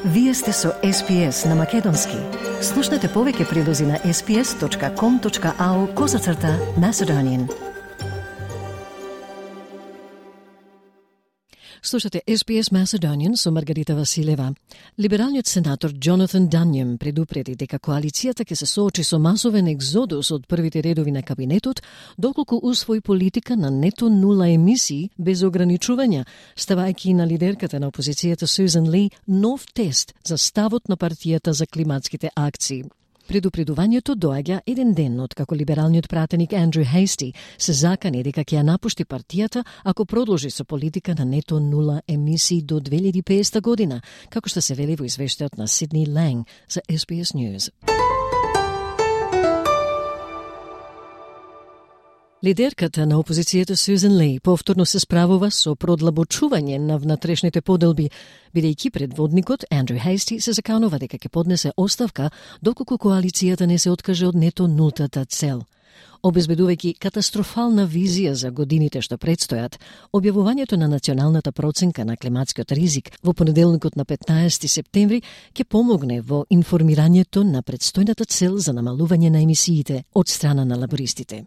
Вие сте со SPS на Македонски. Слушнете повеќе прилози на sps.com.au/Macedonian. Слушате SPS Macedonian со Маргарита Василева. Либералниот сенатор Джонатан Данјем предупреди дека коалицијата ќе се соочи со масовен екзодус од првите редови на кабинетот, доколку усвои политика на нето нула емисии без ограничувања, ставајќи на лидерката на опозицијата Сюзан Ли нов тест за ставот на партијата за климатските акции. Предупредувањето доаѓа еден ден од како либералниот пратеник Андрю Хейсти се закани дека ќе ја напушти партијата ако продолжи со политика на нето нула емисии до 2050 година, како што се вели во извештајот на Сидни Ланг за SBS News. Лидерката на опозицијата Сюзан Ли повторно се справува со продлабочување на внатрешните поделби, бидејќи предводникот Андрю Хейсти се заканува дека ќе поднесе оставка доколку коалицијата не се откаже од нето нултата цел. Обезбедувајќи катастрофална визија за годините што предстојат, објавувањето на националната проценка на климатскиот ризик во понеделникот на 15 септември ќе помогне во информирањето на предстојната цел за намалување на емисиите од страна на лабористите.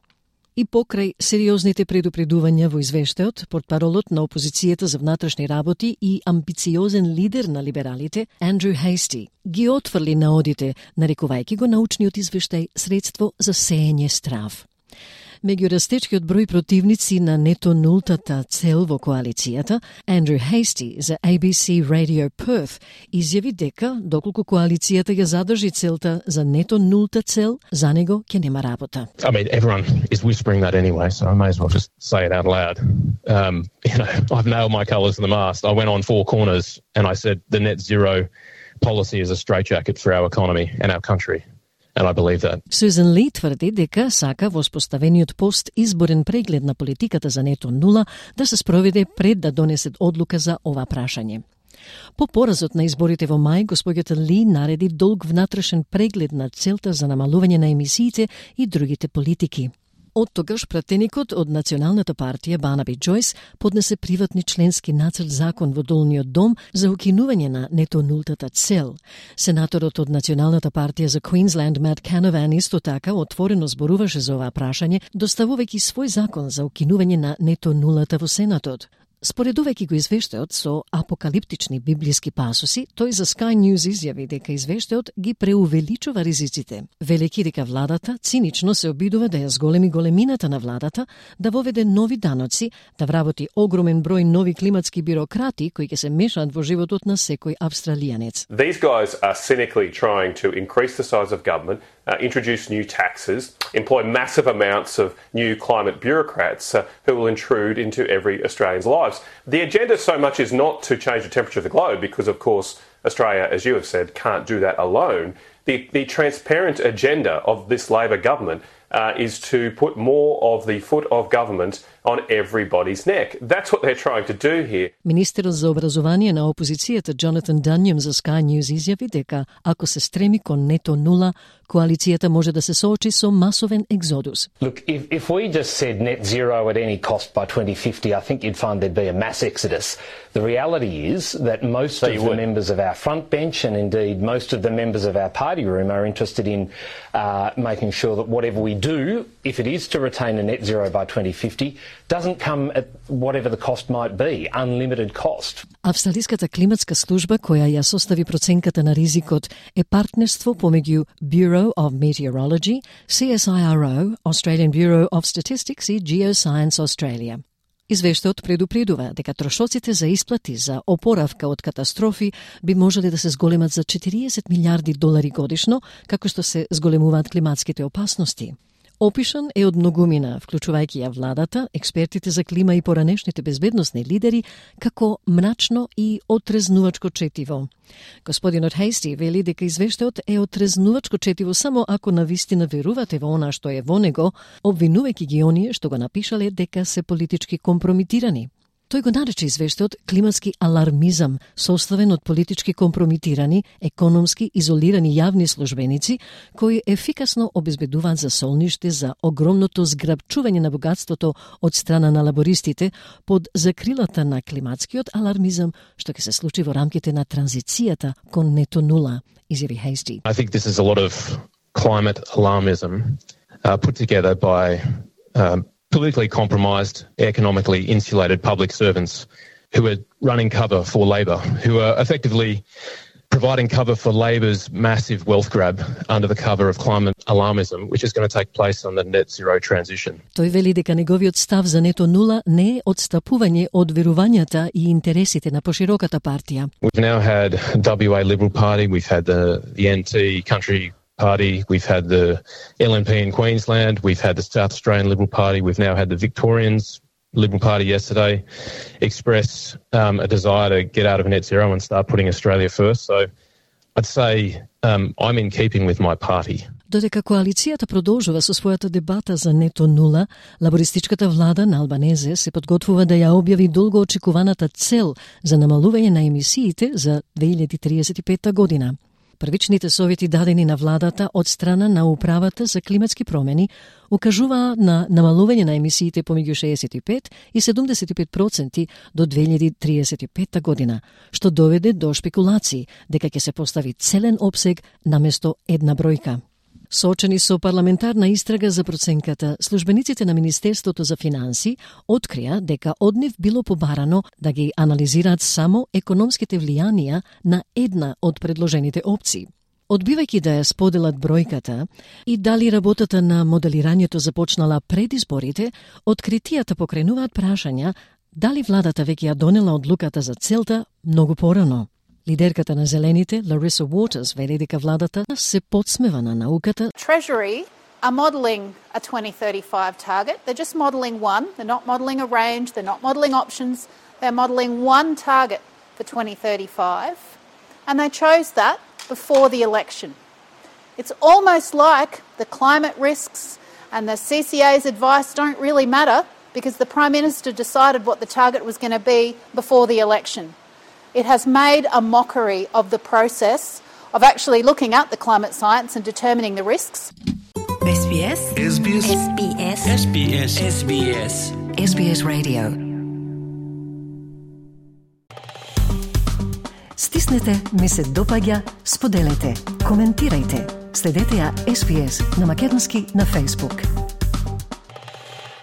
И покрај сериозните предупредувања во извештајот, портпаролот на опозицијата за внатрешни работи и амбициозен лидер на либералите, Андрю Хейсти, ги отфрли наодите, нарекувајќи го научниот извештај средство за сеење страв. Меѓу растечкиот број противници на нето нултата цел во коалицијата, Андрю Хейсти за ABC Radio Perth изјави дека, доколку коалицијата ја задржи целта за нето нулта цел, за него ќе нема работа. I mean, everyone is whispering that anyway, so I may as well just say it out loud. I've nailed my colours in the mast. I went on four corners and I said the net zero policy is a straitjacket for our economy and our country. And I believe that. Сюзан Ли тврди дека сака во споставениот пост изборен преглед на политиката за нето нула да се спроведе пред да донесет одлука за ова прашање. По поразот на изборите во мај, господјата Ли нареди долг внатрешен преглед на целта за намалување на емисиите и другите политики. Од тогаш пратеникот од Националната партија Барнаби Джойс поднесе приватни членски нацрт закон во Долниот дом за укинување на нето нултата цел. Сенаторот од Националната партија за Queensland Matt Canavan исто така отворено зборуваше за оваа прашање, доставувајќи свој закон за укинување на нето нулата во Сенатот. Споредувајќи го извештајот со апокалиптични библиски пасоси, тој за Sky News изјави дека извештајот ги преувеличува ризиците, велејќи дека владата цинично се обидува да ја зголеми големината на владата, да воведе нови даноци, да вработи огромен број нови климатски бирократи кои ќе се мешаат во животот на секој австралијанец. These guys are cynically trying to increase the size of government, introduce new taxes, employ massive amounts of new climate bureaucrats who will intrude into every Australian's lives. The agenda so much is not to change the temperature of the globe because, of course, Australia, as you have said, can't do that alone. The transparent agenda of this Labor government is to put more of the foot of government on everybody's neck. That's what they're trying to do here. Министерот за образование на опозицијата Джонатан Данјем за Sky News изјави дека ако се стреми кон нето нула, коалицијата може да се соочи со масовен екзодус. Look, if we just said net zero at any cost by 2050, I think you'd find there'd be a mass exodus. The reality is that most of the members of our front bench and indeed most of the members of our party room are interested in making sure that whatever we do, if it is to retain a net zero by 2050, doesn't come at whatever the cost might be, unlimited cost. Австралиската климатска служба која ја состави проценката на ризикот е партнерство помеѓу Bureau of Meteorology, CSIRO, Australian Bureau of Statistics и Geoscience Australia. Извештајот предупредува дека трошоците за исплати за опоравка од катастрофи би можеле да се зголемат за 40 милиарди долари годишно, како што се зголемуваат климатските опасности. Опишан е од многумина, вклучувајќи ја владата, експертите за клима и поранешните безбедносни лидери, како мрачно и отрезнувачко четиво. Господинот Хейсти вели дека извештајот е отрезнувачко четиво само ако навистина верувате во она што е во него, обвинувајќи ги оние што го напишале дека се политички компромитирани. Тој го нарече извештајот климатски алармизам, составен од политички компрометирани, економски изолирани јавни службеници, кои ефикасно обезбедуваат за солниште за огромното зграбчување на богатството од страна на лабористите под закрилата на климатскиот алармизам, што ќе се случи во рамките на транзицијата кон нето нула, изјави Хейсти. I think this is a lot of climate alarmism put together by politically compromised, economically insulated public servants who are running cover for Labor, who are effectively providing cover for Labor's massive wealth grab under the cover of climate alarmism, which is going to take place on the net zero transition. Тој вели дека неговиот став за нето нула не е одстапување од верувањата и интересите на пошироката партија. We've now had WA Liberal Party, we've had the NT Country Party, we've had the LNP in Queensland, we've had the South Australian Liberal Party, we've now had the Victorians Liberal Party yesterday express a desire to get out of net zero and start putting Australia first. So I'd say I'm in keeping with my party. Додека коалицијата продолжува со својата дебата за нето нула, лабористичката влада на Албанезе се подготвува да ја објави долго очекуваната цел за намалување на емисиите за 2035 година. Првичните совети дадени на владата од страна на Управата за климатски промени укажуваа на намалување на емисиите помеѓу 65 и 75% до 2035 година, што доведе до шпекулации дека ќе се постави целен опсег наместо една бројка. Соочени со парламентарна истрага за проценката, службениците на Министерството за финанси открија дека од нив било побарано да ги анализираат само економските влијанија на една од предложените опции. Одбивајќи да ја споделат бројката и дали работата на моделирањето започнала пред изборите, откритијата покренуваат прашања дали владата веќе ја донела одлуката за целта многу порано. Лидерката на Зелените, Larissa Waters, вели дека владата се подсмева на науката. Treasury are modelling a 2035 target. They're just modelling one. They're not modelling a range. They're not modelling options. They're modelling one target for 2035. And they chose that before the election. It's almost like the climate risks and the CCA's advice don't really matter because the Prime Minister decided what the target was going to be before the election. It has made a mockery of the process of actually looking at the climate science and determining the risks. SBS. SBS. SBS. SBS. SBS. SBS Radio. Стиснете, ми се допаѓа, споделете, коментирајте. Следете ја SBS на македонски на Facebook.